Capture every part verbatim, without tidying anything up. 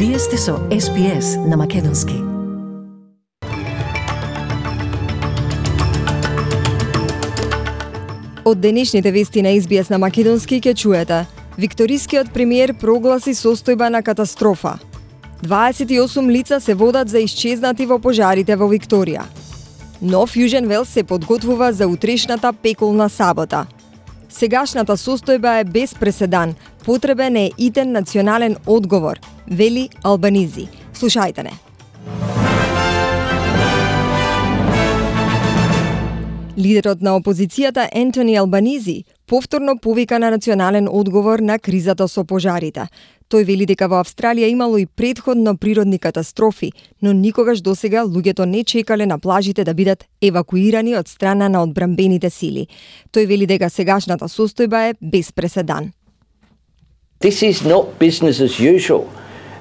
Вие сте со Ес Би Ес на Македонски. Од денешните вести на Ес Би Ес на Македонски ќе чуете: Викторискиот премиер прогласи состојба на катастрофа. дваесет и осум лица се водат за исчезнати во пожарите во Викторија. Нов Јужен Велс се подготвува за утрешната пеколна сабота. Сегашната состојба е без преседан. Потребен е итен национален одговор, вели Албанизи. Слушајте не. Лидерот на опозицијата Ентони Албанизи повторно повика на национален одговор на кризата со пожарите. Тој вели дека во Австралија имало и претходно природни катастрофи, но никогаш досега луѓето не чекале на плажите да бидат евакуирани од страна на одбранбените сили. Тој вели дека сегашната состојба е без преседан. This is not business as usual,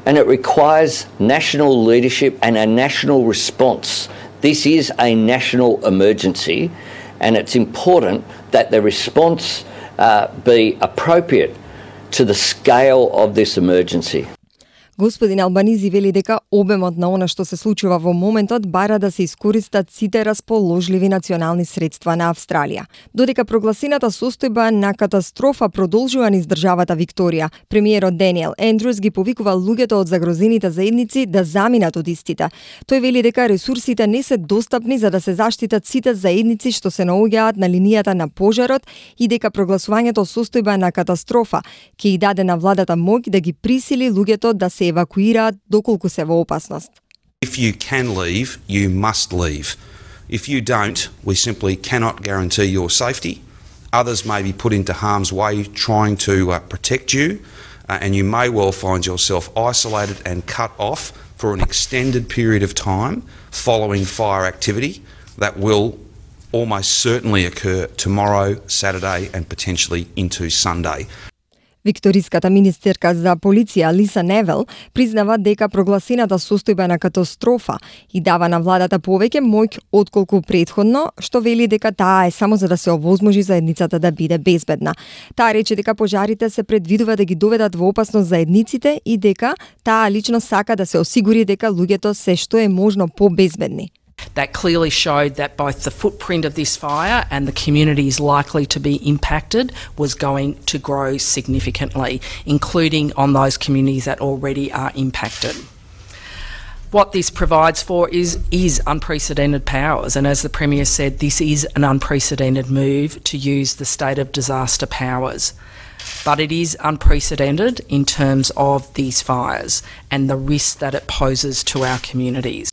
and it requires national leadership and a national response. This is a national emergency, and it's important that the response uh, be appropriate to the scale of this emergency. Господин Албанизи вели дека обемот на она што се случува во моментот бара да се искористат сите расположливи национални средства на Австралија. Додека прогласената состојба на катастрофа продолжува низ државата Викторија, премиерот Даниел Ендрюс ги повикува луѓето од загрозените заедници да заминат од истите. Тој вели дека ресурсите не се достапни за да се заштитат сите заедници што се наоѓаат на линијата на пожарот и дека прогласувањето состојба на катастрофа ќе и даде на владата моќ да ги присили луѓето да се евакуираат доколку се во опасност. If you can leave, you must leave. If you don't, we simply cannot guarantee your safety. Others may be put into harm's way trying to uh, protect you, uh, and you may well find yourself isolated and cut off for an extended period of time following fire activity that will almost certainly occur tomorrow, Saturday, and potentially into Sunday. Викториската министерка за полиција Лиса Невел признава дека прогласената состојба на катастрофа и дава на владата повеќе моќ отколку претходно, што вели дека таа е само за да се овозможи заедницата да биде безбедна. Таа рече дека пожарите се предвидува да ги доведат во опасност заедниците и дека таа лично сака да се осигури дека луѓето се што е можно побезбедни. That clearly showed that both the footprint of this fire and the communities likely to be impacted was going to grow significantly, including on those communities that already are impacted. What this provides for is, is unprecedented powers, and as the Premier said, this is an unprecedented move to use the state of disaster powers. But it is unprecedented in terms of these fires and the risk that it poses to our communities.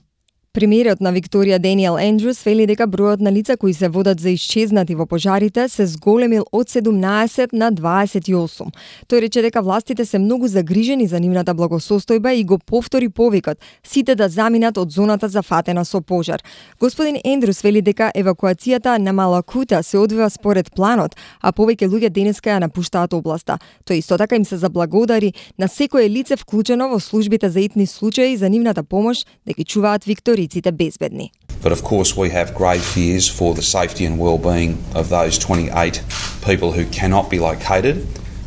Премиерот на Викторија Даниел Ендрюс вели дека бројот на лица кои се водат за исчезнати во пожарите се зголемил од седумнаесет на дваесет и осум. Тој рече дека властите се многу загрижени за нивната благосостојба и го повтори повикот сите да заминат од зоната зафатена со пожар. Господин Ендрюс вели дека евакуацијата на Малакута се одвива според планот, а повеќе луѓе денеска ја напуштаат областа. Тој исто така им се заблагодари на секое лице вклучено во службите за итни случаи за нивната помош да ги чуваат викториците безбедни. But of course we have grave fears for the safety and well-being of those twenty-eight people who cannot be located.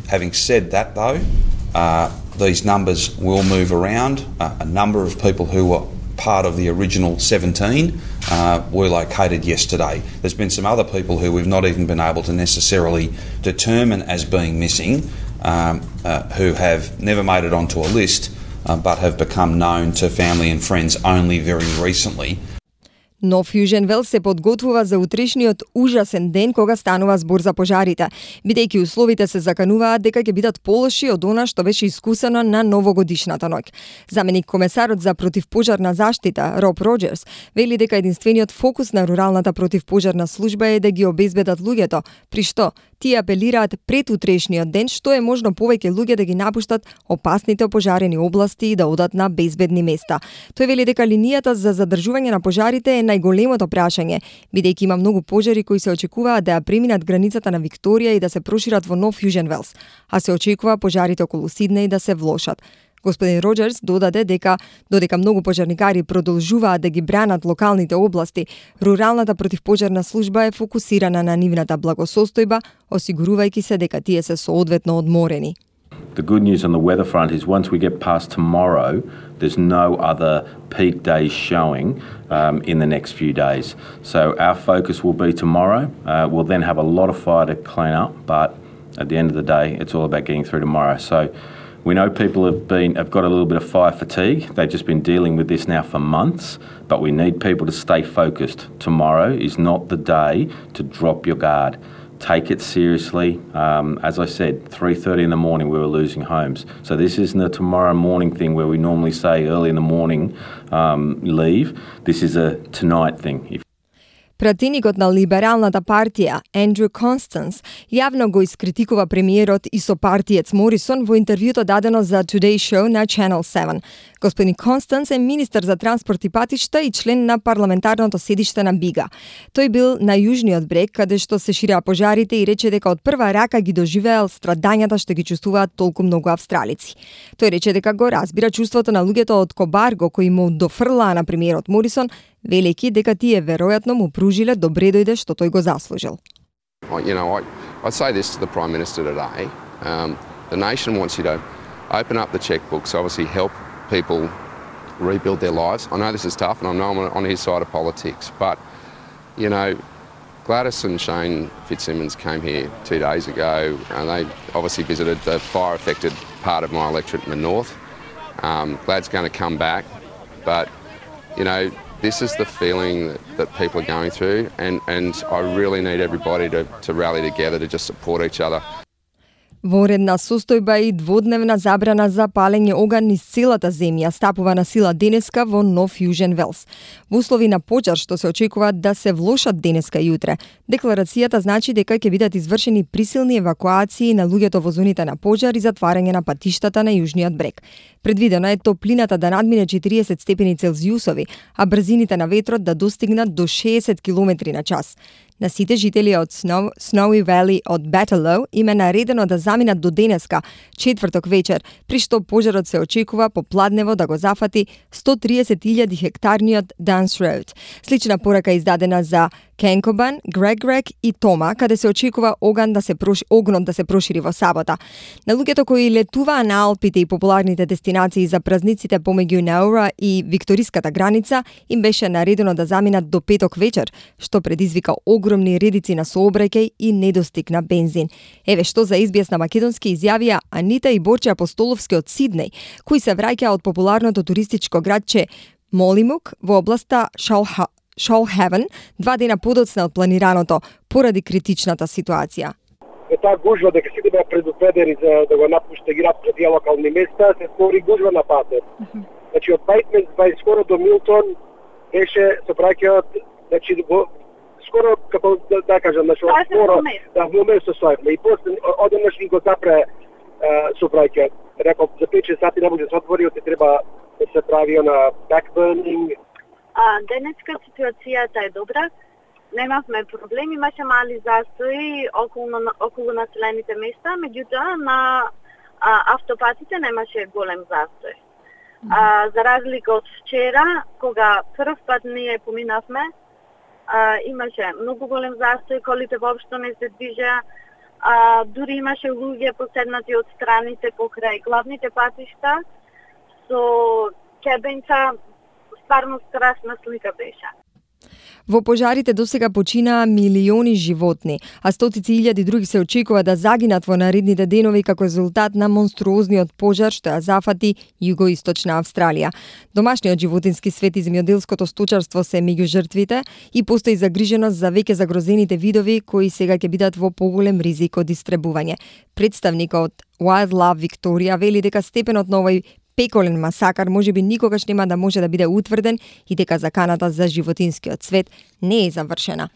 Having said that though, uh, these numbers will move around. Uh, a number of people who were part of the original seventeen uh, were located yesterday. There's been some other people who we've not even been able to necessarily determine as being missing, um, uh, who have never made it onto a list, uh, but have become known to family and friends only very recently. Нов Јужен Велс се подготвува за утрешниот ужасен ден кога станува збор за пожарите, бидејќи условите се закануваат дека ќе бидат полоши од она што беше искусено на новогодишната ноќ. Заменик комесарот за противпожарна заштита Роб Роџерс вели дека единствениот фокус на руралната противпожарна служба е да ги обезбедат луѓето, при што тие апелираат пред утрешниот ден што е можно повеќе луѓе да ги напуштат опасните опожарени области и да одат на безбедни места. Тој вели дека линијата за задржување на пожарите е најголемото прашање, бидејќи има многу пожари кои се очекуваат да ја преминат границата на Викторија и да се прошират во Нов Јужен Велс, а се очекува пожарите околу Сиднеј да се влошат. Господин Роџерс додаде дека додека многу пожарникари продолжуваат да ги бранат локалните области, руралната противпожарна служба е фокусирана на нивната благосостојба, осигурувајќи се дека тие се соодветно одморени. the good news on the weather front is once we get past tomorrow, there's no other peak days showing um, in the next few days. So our focus will be tomorrow. Uh, we'll then have a lot of fire to clean up, but at the end of the day, it's all about getting through tomorrow. So we know people have been have got a little bit of fire fatigue. They've just been dealing with this now for months, but we need people to stay focused. Tomorrow is not the day to drop your guard. Take it seriously. Um, as I said, three thirty in the morning we were losing homes. So this isn't a tomorrow morning thing where we normally say early in the morning um, leave. This is a tonight thing. If Пратеникот на Либералната партија, Андрю Констанс, јавно го искритикува премиерот и сопартиец Морисон во интервјуто дадено за Today Show на Channel седум. Господин Констанс е министер за транспорт и патишта и член на парламентарното седиште на Бига. Тој бил на јужниот брег, каде што се ширеа пожарите и рече дека од прва рака ги доживеал страдањата што ги чувствуваат толку многу австралици. Тој рече дека го разбира чувството на луѓето од Кобарго кои му дофрлаа на премиерот Морисон, велики дека тие веројатно му пружиле добре дојде што тој го заслужил. You know, I, I say this to the Prime Minister today. Um, the nation wants you to open up the checkbooks, obviously help people rebuild their lives. I know this is tough and I know I'm on his side of politics, but, you know, Gladys and Shane Fitzsimmons came here two days ago and they obviously visited the fire-affected part of my electorate in the north. Um, Glad's going to come back, but, you know, this is the feeling that, that people are going through and, and I really need everybody to, to rally together to just support each other. Во редна состојба и дводневна забрана за палење оган низ целата земја стапува на сила денеска во Нов Јужен Велс. Во услови на пожар што се очекува да се влошат денеска и утре, декларацијата значи дека ќе бидат извршени присилни евакуации на луѓето во зоните на пожар и затварање на патиштата на јужниот брег. Предвидено е топлината да надмине четириесет степени Целзиусови, а брзините на ветрот да достигнат до шеесет километри на час. На сите жители од Snow, Snowy Valley од Battle им е наредено да заминат до денеска, четврток вечер, при што пожарот се очекува по пладнево да го зафати сто триесет илјади хектарниот Dance Road. Слична порака издадена за Кенкобан, Грегрек и Тома, каде се очекува оган да се проши, огнот да се прошири во сабота. На луѓето кои летуваа на Алпите и популарните дестинации за празниците помеѓу Наура и Викториската граница, им беше наредено да заминат до петок вечер, што предизвика огромни редици на сообраќај и недостиг на бензин. Еве што за Ес Би Ес на македонски изјавија Анита и Борче Апостоловски од Сиднеј, кои се враќаа од популарното туристичко градче Молимук во областа Шалха Shoalhaven, два дена подоцна од планираното, поради критичната ситуација. Е таа гужва дека сите беа предупредени за да го напуште град пред тие локални места, се створи гужва на патот. Mm-hmm. Значи од Бајтмен бај скоро до Милтон беше се праќаат, значи го скоро како да, да кажам, значи од скоро да во момент се сојавме и после одеднаш ги го запре се праќаат. Реков за пет сати не може да се отвори, оти треба да се прави на backburning. А, денеска ситуацијата е добра. Немавме проблеми, имаше мали застои околу, околу населените места, меѓутоа на а, автопатите немаше голем застој. А, за разлика од вчера, кога прв пат ние поминавме, а, имаше многу голем застој, колите воопшто не се движеа, а, дури имаше луѓе поседнати од страните покрај главните патишта, со кебенца. Стварно страшна слика беше. Во пожарите досега починаа милиони животни, а стотици илјади други се очекува да загинат во наредните денови како резултат на монструозниот пожар што ја зафати југоисточна Австралија. Домашниот животински свет и земјоделското сточарство се меѓу жртвите и постои загриженост за веќе загрозените видови кои сега ќе бидат во поголем ризик од истребување. Представникот Wildlife Victoria вели дека степенот на овој пеколен масакар можеби никогаш нема да може да биде утврден и дека заканата за животинскиот свет не е завршена.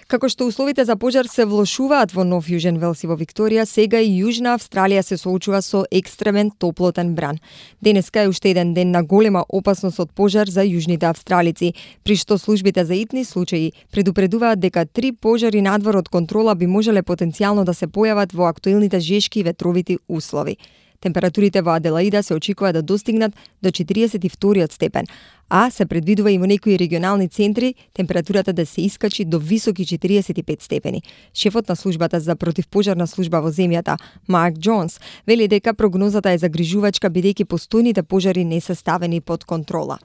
Како што условите за пожар се влошуваат во Нов Јужен Велс и во Викторија, сега и Јужна Австралија се соочува со екстремен топлотен бран. Денеска е уште еден ден на голема опасност од пожар за јужните австралици, при што службите за итни случаи предупредуваат дека три пожари надвор од контрола би можеле потенцијално да се појават во актуелните жешки и ветровити услови. Температурите во Аделаида се очекува да достигнат до четириесет и втори степен, а се предвидува и во некои регионални центри температурата да се искачи до високи четириесет и пет степени. Шефот на службата за противпожарна служба во земјата, Марк Джонс, вели дека прогнозата е загрижувачка бидејќи постојните пожари не се ставени под контрола.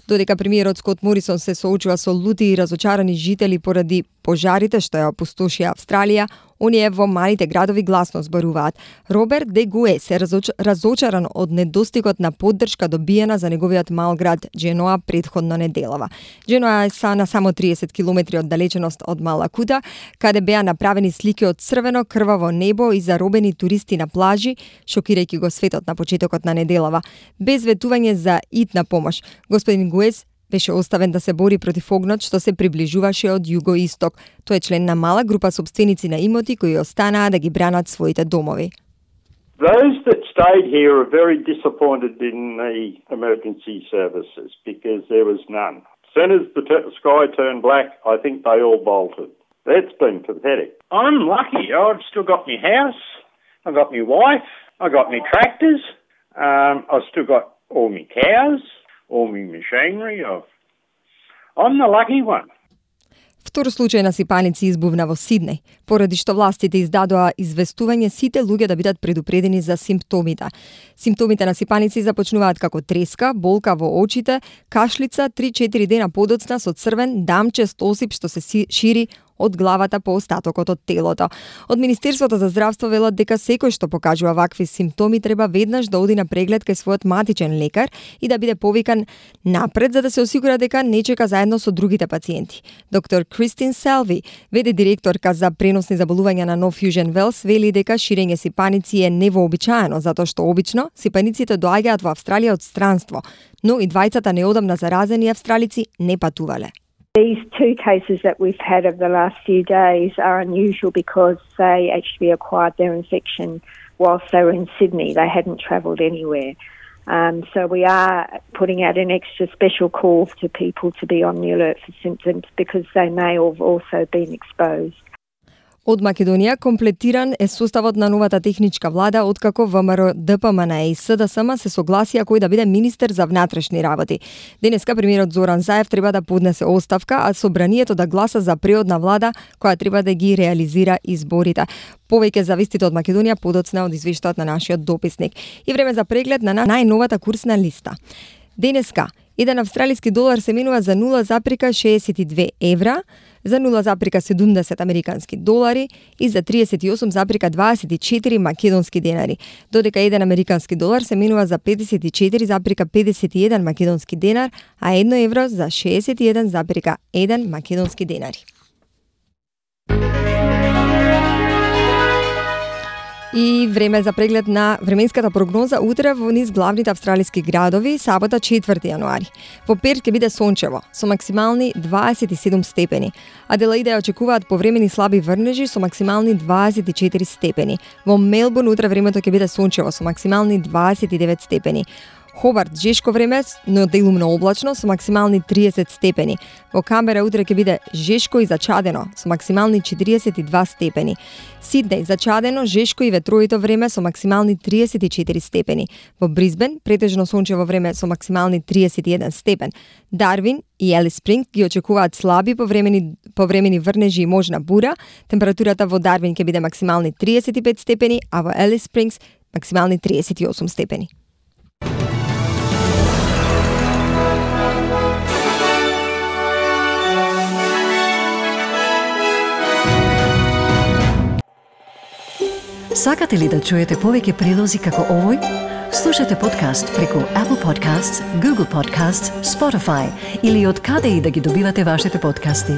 Додека премиерот Скот Морисон се соочува со лути и разочарани жители поради пожарите што ја опустошија Австралија, оние во малите градови гласно зборуваат. Роберт Де Гуе се разоч... разочаран од недостигот на поддршка добиена за неговиот мал град Дженоа претходно неделава. Дженоа е са на само триесет километри оддалеченост од Малакута, каде беа направени слики од црвено крваво небо и заробени туристи на плажи, шокирајќи го светот на почетокот на неделава, без ветување за итна помош. Господин Гуес беше оставен да се бори против огнот што се приближуваше од југоисток. Тој е член на мала група собственици на имоти кои останаа да ги бранат своите домови. Those that stayed here are very disappointed in the emergency services because there was none. As soon as the t- sky turned black, I think they all bolted. That's been pathetic. I'm lucky. I've still got my house. I've got my wife. I've got my tractors. Um, I've still got all my cows. all my machinery. I'm the lucky one. Втор случај на сипаници избувна во Сиднеј, поради што властите издадоа известување сите луѓе да бидат предупредени за симптомите. Симптомите на сипаници започнуваат како треска, болка во очите, кашлица, три-четири дена подоцна со црвен, дамчест осип што се шири од главата по остатокот од телото. Од Министерството за здравство велат дека секој што покажува вакви симптоми треба веднаш да оди на преглед кај својот матичен лекар и да биде повикан напред за да се осигура дека не чека заедно со другите пациенти. Доктор Кристин Селви, веде директорка за преносни заболувања на No Fusion Wells, вели дека ширење сипаници е невообичаено затоа што обично сипаниците доаѓаат во Австралија од странство, но и двајцата неодамна заразени австралици не патувале. These two cases that we've had over the last few days are unusual because they actually acquired their infection whilst they were in Sydney. They hadn't travelled anywhere. Um, so we are putting out an extra special call to people to be on the alert for symptoms because they may have also been exposed. Од Македонија комплетиран е составот на новата техничка влада откако ВМРО Д П М Н и С Д С М се согласија кој да биде министер за внатрешни работи. Денеска премиерот Зоран Заев треба да поднесе оставка, а собранието да гласа за преодна влада која треба да ги реализира изборите. Повеќе за вестите од Македонија подоцна од извештајот на нашиот дописник. И време за преглед на најновата курсна листа. Денеска еден австралиски долар се менува за нула запирка шеесет и две евра, за нула запирка седумдесет американски долари и за триесет и осум запирка дваесет и четири македонски денари, додека еден американски долар се менува за педесет и четири запирка педесет и еден македонски денар, а едно евро за шеесет и еден запирка еден македонски денари. И време за преглед на временската прогноза утре во низ главните австралиски градови, сабота четврти јануари. Во Перт ќе биде сончево, со максимални дваесет и седум степени. Аделаида ја очекуваат повремени слаби врнежи со максимални дваесет и четири степени. Во Мелбурн утре времето ќе биде сончево со максимални дваесет и девет степени. Хобарт жешко време, но делумно облачно со максимални триесет степени. Во Камбера утре ќе биде жешко и зачадено со максимални четириесет и два степени. Сиднеј зачадено, жешко и ветровито време со максимални триесет и четири степени. Во Брисбен претежно сончево време со максимални триесет и еден степен. Дарвин и Елис Спринг ги очекуваат слаби повремени повремени врнежи и можна бура. Температурата во Дарвин ќе биде максимални триесет и пет степени, а во Елис Спрингс максимални триесет и осум степени. Сакате ли да чуете повеќе прилози како овој? Слушате подкаст преку Apple Podcasts, Google Podcasts, Spotify или од каде и да ги добивате вашите подкасти.